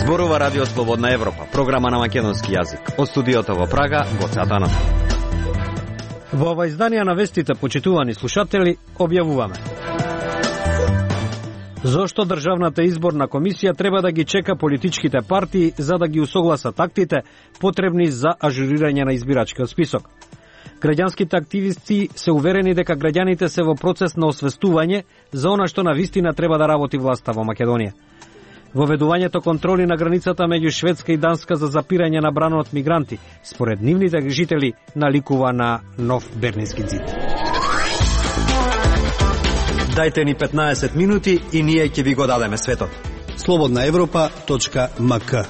Зборува Радио Слободна Европа, програма на македонски јазик. Од студиото во Прага, Гоце Атанасов. Во ова издание на вестите, почитувани слушатели, објавуваме: зошто Државната изборна комисија треба да ги чека политичките партии за да ги усогласат актите потребни за ажурирање на избирачкиот список. Граѓанските активисти се уверени дека граѓаните се во процес на освестување за она што навистина треба да работи власта во Македонија. Воведувањето контроли на границата меѓу Шведска и Данска за запирање на бранот мигранти, според нивните жители, наликува на нов Берлински ѕид. Дајте ни 15 минути и ние ќе ви го дадеме светот. slobodnaevropa.mk.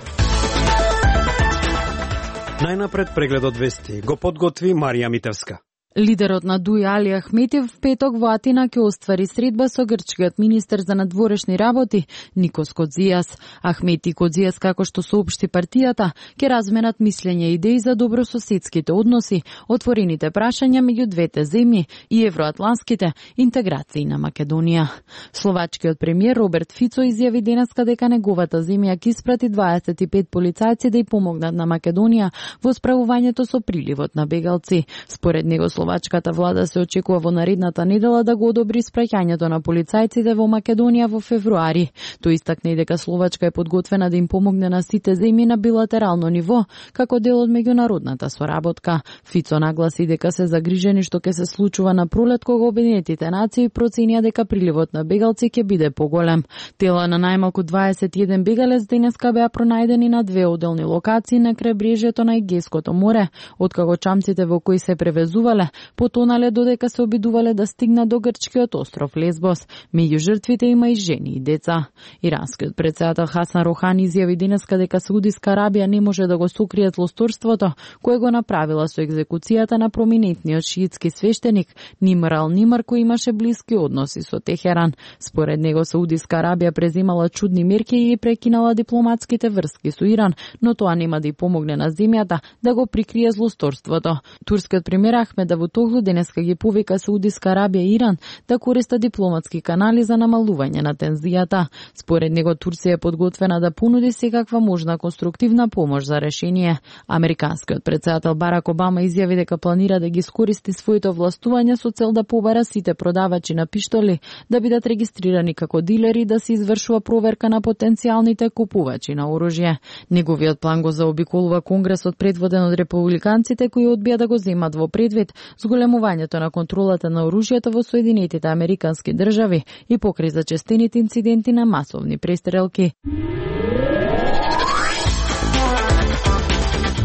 Најнапред прегледот вести го подготви Марија Митевска. Лидерот на ДУИ Али Ахмети в петок во Атина ќе оствари средба со грчкиот министер за надворешни работи Никос Кодзијас. Ахмети и Кодзијас, како што соопшти партијата, ќе разменат мислење и идеи за добрососедските односи, отворените прашања меѓу двете земји и евроатланските интеграции на Македонија. Словачкиот премиер Роберт Фицо изјави денеска дека неговата земја ќе испрати 25 полицајци да ја помогнат на Македонија во справувањето со приливот на бегалци. Според него, словачката влада се очекува во наредната недела да го одобри спраќањето на полицајците во Македонија во февруари. Тој истакна и дека Словачка е подготвена да им помогне на сите земји на билатерално ниво, како дел од меѓународната соработка. Фицо нагласи дека се загрижени што ќе се случува на пролет кога Обединетите нации проценија дека приливот на бегалци ќе биде поголем. Тела на најмалку 21 бегалец денеска беа пронајдени на две одделни локации на крайбрежјето на Егејското море, откако чамците во кои се превезувале потонале додека се обидувале да стигнат до грчкиот остров Лесбос. Меѓу жртвите има и жени и деца. Иранскиот претседател Хасан Рохани изјави денеска дека Саудиска Арабија не може да го сокрие злосторството кое го направила со екзекуцијата на проминентниот шиитски свештеник Нимр ал-Нимр, кој имаше блиски односи со Техеран. Според него Саудиска Арабија преземала чудни мерки и прекинала дипломатските врски со Иран, но тоа нема да ја помогне на земјата да го прикрие злосторството. Турскиот премиер Ахмед Давутоглу денеска ги повика Саудиска Арабија и Иран да користат дипломатски канали за намалување на тензијата. Според него Турција е подготвена да понуди секаква можна конструктивна помош за решение. Американскиот претседател Барак Обама изјави дека планира да ги искористи своите овластувања со цел да побара сите продавачи на пиштоли да бидат регистрирани како дилери и да се извршува проверка на потенцијалните купувачи на оружје. Неговиот план го заобиколува Конгресот предводен од републиканците кои одбија да го земат во предвид зголемувањето на контролата на оружјето во Соединетите Американски држави и покрај зачестените инциденти на масовни престрелки.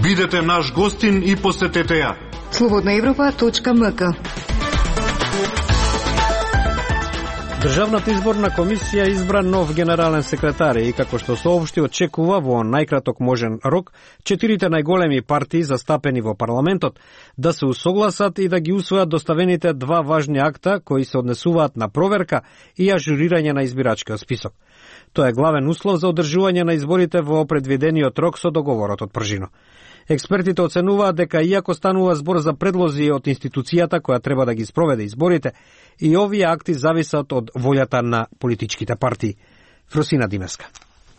Бидете наш гостин и посетете ја. slobodnaevropa.mk. Државната изборна комисија избра нов генерален секретар и, како што соопшти, очекува во најкраток можен рок 4 најголеми партии застапени во парламентот да се усогласат и да ги усвојат доставените два важни акта кои се однесуваат на проверка и ажурирање на избирачкиот список. Тоа е главен услов за одржување на изборите во предвидениот рок со договорот од пржино. Експертите оценуваат дека иако станува збор за предлози од институцијата која треба да ги спроведе изборите, и овие акти зависат од волјата на политичките партии. Фросина Димеска.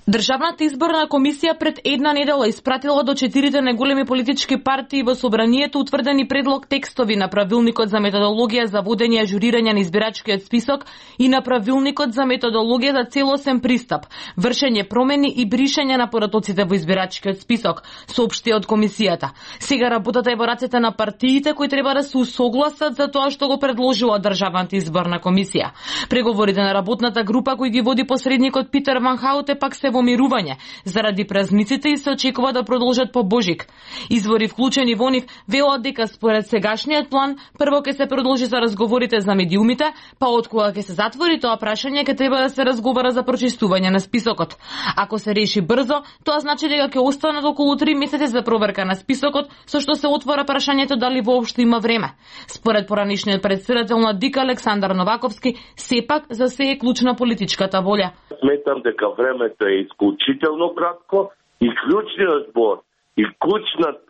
Државната изборна комисија пред една недела испратила до 4 најголеми политички партии во собранието утврдени предлог текстови на правилникот за методологија за водење и ажурирање на избирачкиот список и на правилникот за методологија за целосен пристап, вршење промени и бришење на поратоците во избирачкиот список, соопшти од комисијата. Сега работата е во рацете на партиите кои треба да се усогласат за тоа што го предложила Државната изборна комисија. Преговорите на работната група кои ги води посредникот Питер Ван Хауте пак се во мирување заради празниците и се очекува да продолжат по Божик. Извори вклучени во нив велат дека според сегашниот план прво ќе се продолжи за разговорите за медиумите, па откога ќе се затвори тоа прашање ќе треба да се разговара за прочистување на списокот. Ако се реши брзо, тоа значи дека ќе останат околу 3 месеци за проверка на списокот, со што се отвора прашањето дали воопшто има време. Според поранишниот председател на ДИК Александар Новаковски, сепак за се е клучна политичката волја. Сметам дека времето е исклучително кратко и клучниот збор и клучниот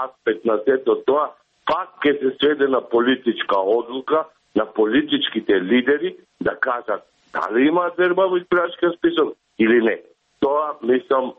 аспект на сето тоа пак ќе се сведе на политичка одлука на политичките лидери да кажат дали имаат верба во избирачкиот список или не. Тоа, мислам,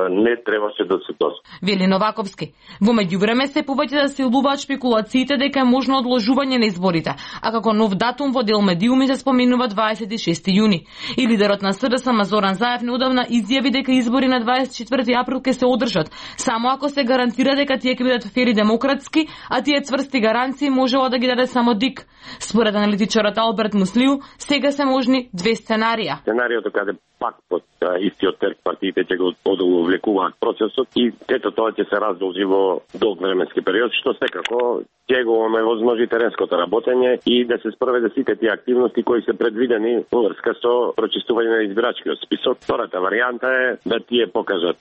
не требаше да се дозволи. Вели Новаковски. Во меѓувреме се повеќе да се улуваат шпекулациите дека е можно одложување на изборите, а како нов датум во дел медиуми се споменува 26 јуни. И лидерот на СДСМ Зоран Заев неодамна изјави дека избори на 24 април ќе се одржат, само ако се гарантира дека тие ќе бидат фер и демократски, а тие цврсти гаранции можела да ги даде само ДИК. Според аналитичарот Алберт Муслиу, сега се можни две сценарија. Сценариото каде пак под истиот терк партиите ќе го одовлекуваат процесот и ето тоа ќе се раздолжи во долг временски период, што секако ќе го овозможи теренското работење и да се спроведе сите тие активности кои се предвидени во врска со прочистување на избирачкиот список. Втората варијанта е да тие покажат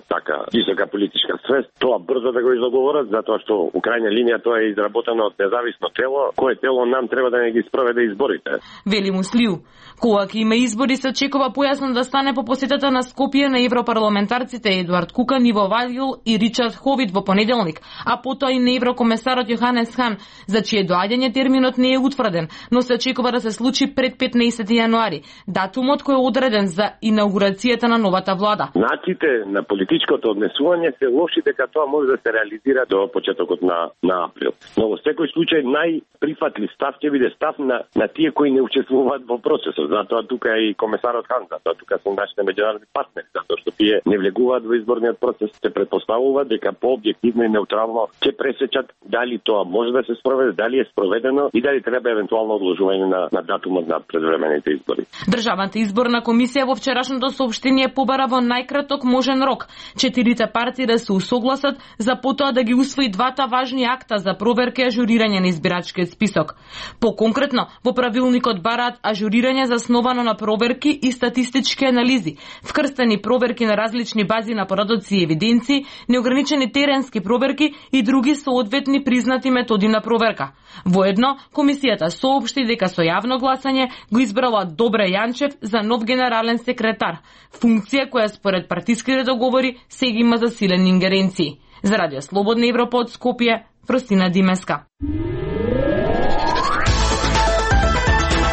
така висока политичка свест, тоа брзо да го изоговорат, затоа што у крајна линија тоа е изработено од независно тело, кое тело нам треба да не ги спроведе изборите. Вели Муслиу. Кога ќе има избори се очекува појасно да стане по посетата на Скопје на европарламентарците Едуард Кукан, Иво Вајгл и Ричард Ховит во понеделник, а потоа и на еврокомесарот Јоханес Хан, за чие доаѓање терминот не е утврден, но се очекува да се случи пред 15 јануари, датумот кој е одреден за инаугурацијата на новата влада. Начите на политичкото однесување се лоши дека тоа може да се реализира до почетокот на април. Но во секој случај најприфатлив став ќе биде став на тие кои не учествуваат во процесот. Затоа тука е и комесарот Хан, затоа тука се нашите меѓународни партнери, затоа што тие не влегуваат во изборниот процес, се претпоставува дека по-објективно и неутрално ќе пресечат дали тоа може да се спроведе, дали е спроведено и дали треба евентуално одложување на датумот на предвремените избори. Државната изборна комисија во вчерашното соопштение побара во најкраток можен рок 4 партии да се усогласат за потоа да ги усвои двата важни акта за проверка и ажурирање на избирачкиот список. По-конкретно, во правилникот бараат ажурирање засновано на проверки и статистички анализи, вкрстени проверки на различни бази на порадоци и евиденции, неограничени теренски проверки и други соодветни признати методи на проверка. Воедно, комисијата соопшти дека со јавно гласање го избрала Добре Јанчев за нов генерален секретар, функција која според партиските договори сега има засилени ингеренции. За Радио Слободна Европа од Скопје, Фростина Димеска.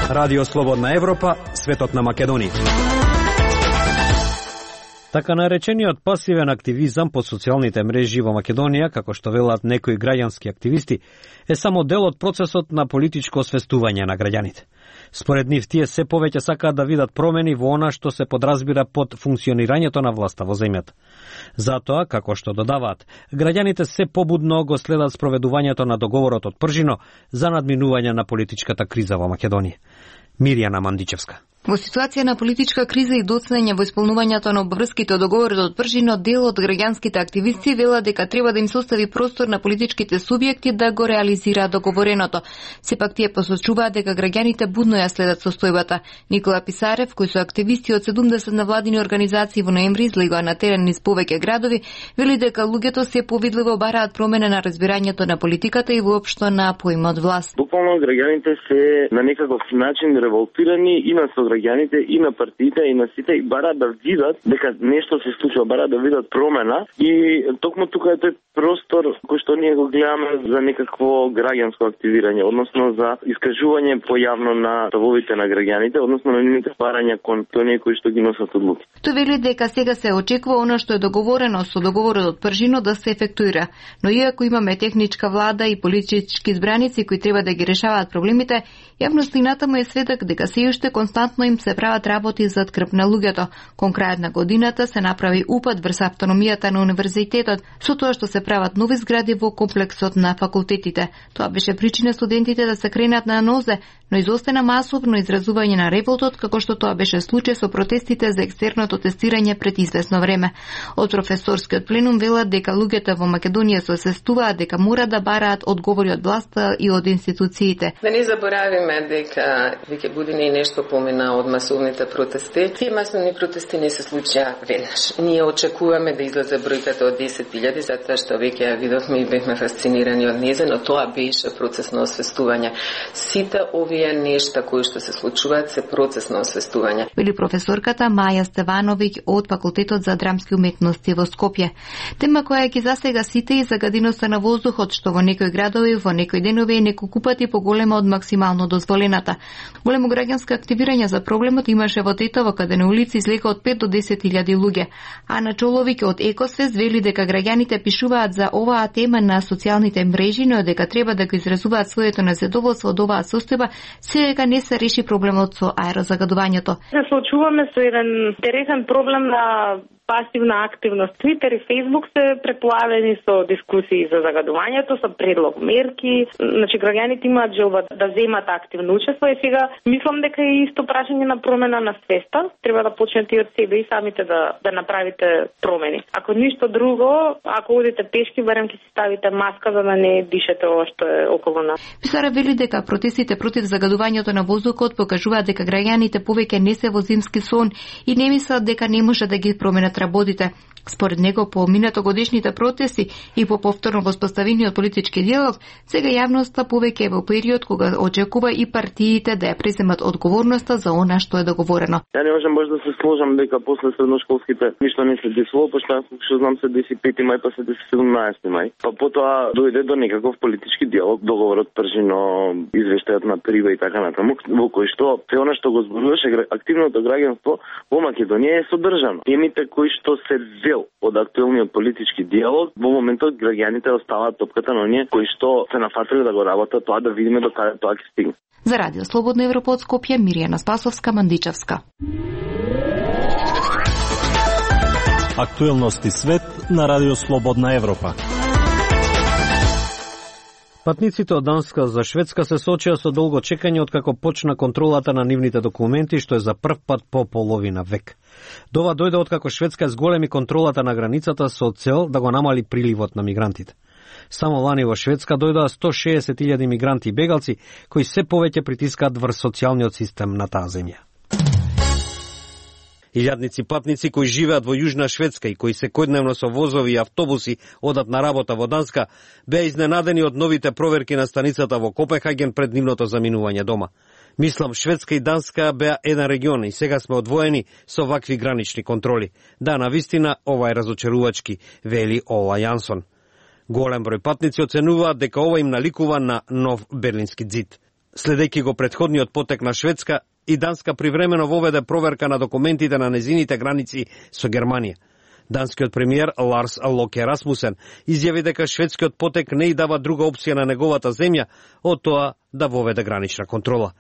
Радио Слободна Европа, светот на Македонија. Така наречениот пасивен активизам по социјалните мрежи во Македонија, како што велат некои граѓански активисти, е само дел од процесот на политичко освестување на граѓаните. Според нив тие се повеќе сакаат да видат промени во она што се подразбира под функционирањето на власта во земјата. Затоа, како што додаваат, граѓаните се побудно го следат спроведувањето на договорот од Пржино за надминување на политичката криза во Македонија. Мирјана Мандичевска. Во ситуација на политичка криза и доцнење во исполнувањето на обврските договори од Пржино, дел од граѓанските активисти вела дека треба да им се остави простор на политичките субјекти да го реализираат договореното. Сепак тие посочуваат дека граѓаните будно ја следат состојбата. Никола Писарев, кој со активисти од 70 навладини организации во ноември излегува на терен низ повеќе градови, вели дека луѓето се повидливо бараат промена на разбирањето на политиката и воопшто на поимот власт. Буквално граѓаните се на некаков начин револтирани и на граѓаните и на партиите и на сите и бараат да видат дека нешто се случува, бараат да видат промена и токму тука е тој простор кој што ние го гледаме за некакво граѓанско активирање, односно за искажување појавно на ставовите на граѓаните, односно на нивните барања кон оние кои што ги носат одлуки. Тој вели дека сега се очекува она што е договорено со договорот од Пржино да се ефектуира, но иако имаме техничка влада и политички избраници кои треба да ги решаваат проблемите, јавноста му е сведок дека се уште константно им се прават работи зад крп на луѓето. Кон крајот на годината се направи упад врз автономијата на универзитетот, со тоа што се прават нови згради во комплексот на факултетите. Тоа беше причина студентите да се кренат на нозе, но изостана масовно изразување на револтот, како што тоа беше случај со протестите за екстерното тестирање пред известно време. Од професорскиот пленум велат дека луѓето во Македонија се освестуваат дека мора да бараат одговори од власта и од институциите. Да не заборавиме дека веќе години нешто помина од масовните протести. Тие масовни протести не се случија веднаш. Ние очекуваме да излезе бројката од 10.000, затоа што веќе ја видовме и бевме фасцинирани од незе, но тоа беше процес на освестување. Сите овие Оние нешта кои што се случуваат се процес на освестување. Вели професорката Маја Стевановиќ од Факултетот за драмски уметности во Скопје. Тема која ги засега сите и загаденоста на воздухот, што во некои градови во некои денови е неколку пати поголема од максимално дозволената. Големо граѓанско активирање за проблемот имаше во Тетово, каде на улици излега од 5 до 10.000 луѓе. Ана Чоловиќ од Екосвест вели дека граѓаните пишуваат за оваа тема на социјалните мрежи, но дека треба да го изразуваат своето незадоволство од оваа состојба, сега не се реши проблемот со аерозагадувањето. Се соочуваме со еден интересен проблем на пасивна активност. Твитер и Фейсбук се преплавени со дискусии за загадувањето, со предлог мерки. Значи, граѓаните имаат желба да земат активно учество и сега мислам дека е исто прашање на промена на свеста. Треба да почнете од себе и самите да направите промени. Ако ништо друго, ако одите пешки, барем ќе си ставите маска за да не дишете ова што е околу нас. Писара вели дека протестите против загадувањето на воздухот покажуваат дека граѓаните повеќе не се во зимски сон и не мислат дека не може да ги променат работите. Според него, по минатогодишните протести и по повторно воспоставениот политички диалог, сега јавноста повеќе е во период кога очекува и партиите да ја преземат одговорноста за она што е договорено. Ја не можам баш да се сложам дека после средношколските ништо не се десило, пошто што знам се деси 5 мај, па се деси 17 мај. Па потоа дојде до некаков политички диалог, договорот Пржино, извештајот на Прива и така натаму, во кој што се она што го зборуваше активното граѓанство во Македонија е содржано. Темите кои што се од актуелниот политички диалог, во моментот граѓаните оставаат топката на оние кои што се нафатиле да го работат тоа, да видиме до каде тоа ќе стигне. За Радио Слободна Европа од Скопје, Миријана Спасовска, Мандичевска. Актуелности свет на Радио Слободна Европа. Патниците од Данска за Шведска се соочија со долго чекање откако почна контролата на нивните документи, што е за прв пат по половина век. Дова дојде откако Шведска зголеми контролата на границата со цел да го намали приливот на мигрантите. Само лани во Шведска дојдоа 160.000 мигранти и бегалци, кои се повеќе притискаат врз социјалниот систем на таа земја. Илјадници патници кои живеат во Јужна Шведска и кои секојдневно со возови и автобуси одат на работа во Данска, беа изненадени од новите проверки на станицата во Копенхаген пред нивното заминување дома. Мислам, Шведска и Данска беа еден регион и сега сме одвоени со вакви гранични контроли. Да, навистина, ова е разочарувачки, вели Ола Јансон. Голем број патници оценуваат дека ова им наликува на нов Берлински ѕид. Следејќи го претходниот потек на Шведска, и Данска привремено воведе проверка на документите на незините граници со Германија. Данскиот премиер Ларс Локе Расмусен изјави дека шведскиот потек не и дава друга опција на неговата земја од тоа да воведе гранична контрола.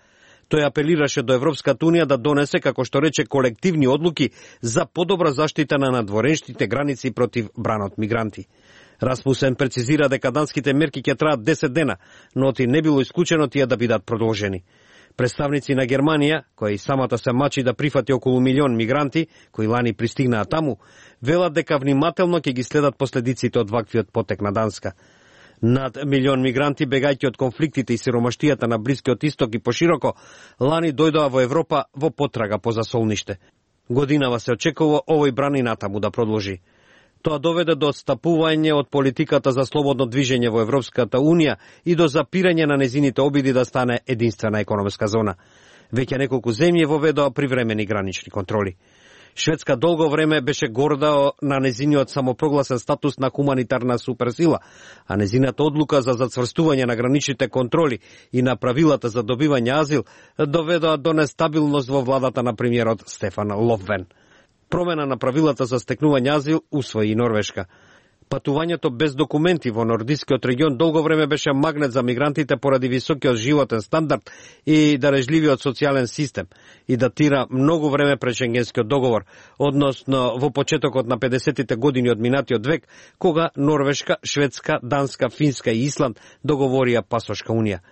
Тој апелираше до Европската унија да донесе, како што рече, колективни одлуки за подобра заштита на надворешните граници против бранот мигранти. Расмусен прецизира дека данските мерки ќе траат 10 дена, но оти не било исклучено тие да бидат продолжени. Представници на Германија, која и самата се мачи да прифати околу 1 милион мигранти, кои лани пристигнаа таму, велат дека внимателно ќе ги следат последиците од ваквиот потек на Данска. Над 1 милион мигранти, бегајќи од конфликтите и сиромаштијата на Блискиот исток и пошироко, лани дојдоа во Европа во потрага по засолниште. Годинава се очекува овој бран и натаму да продолжи. Тоа доведе до отстапување од политиката за слободно движење во Европската Унија и до запирање на незините обиди да стане единствена економска зона. Веќе неколку земји воведоа привремени гранични контроли. Шведска долго време беше горда на незиниот самопрогласен статус на хуманитарна суперсила, а незината одлука за зацврстување на граничните контроли и на правилата за добивање азил доведоа до нестабилност во владата на премиерот Стефан Лофвен. Промена на правилата за стекнување азил усвои и Норвешка. Патувањето без документи во нордискиот регион долго време беше магнет за мигрантите поради високиот животен стандард и дарежливиот социјален систем и датира многу време пред Шенгенскиот договор, односно во почетокот на 50-тите години од минатиот век, кога Норвешка, Шведска, Данска, Финска и Исланд договорија пасошка унија.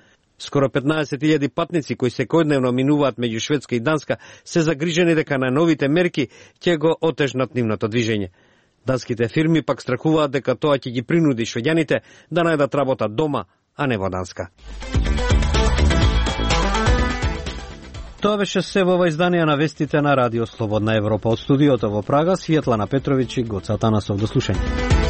Скоро 15.000 патници кои секојдневно минуваат меѓу Шведска и Данска се загрижени дека на новите мерки ќе го отежнат нивното движење. Данските фирми пак страхуваат дека тоа ќе ги принуди швеѓаните да најдат работа дома, а не во Данска. Тоа беше се во ова издание на вестите на Радио Слободна Европа. Од студиото во Прага, Светлана Петровиќ и Гоца Танасов. До слушање.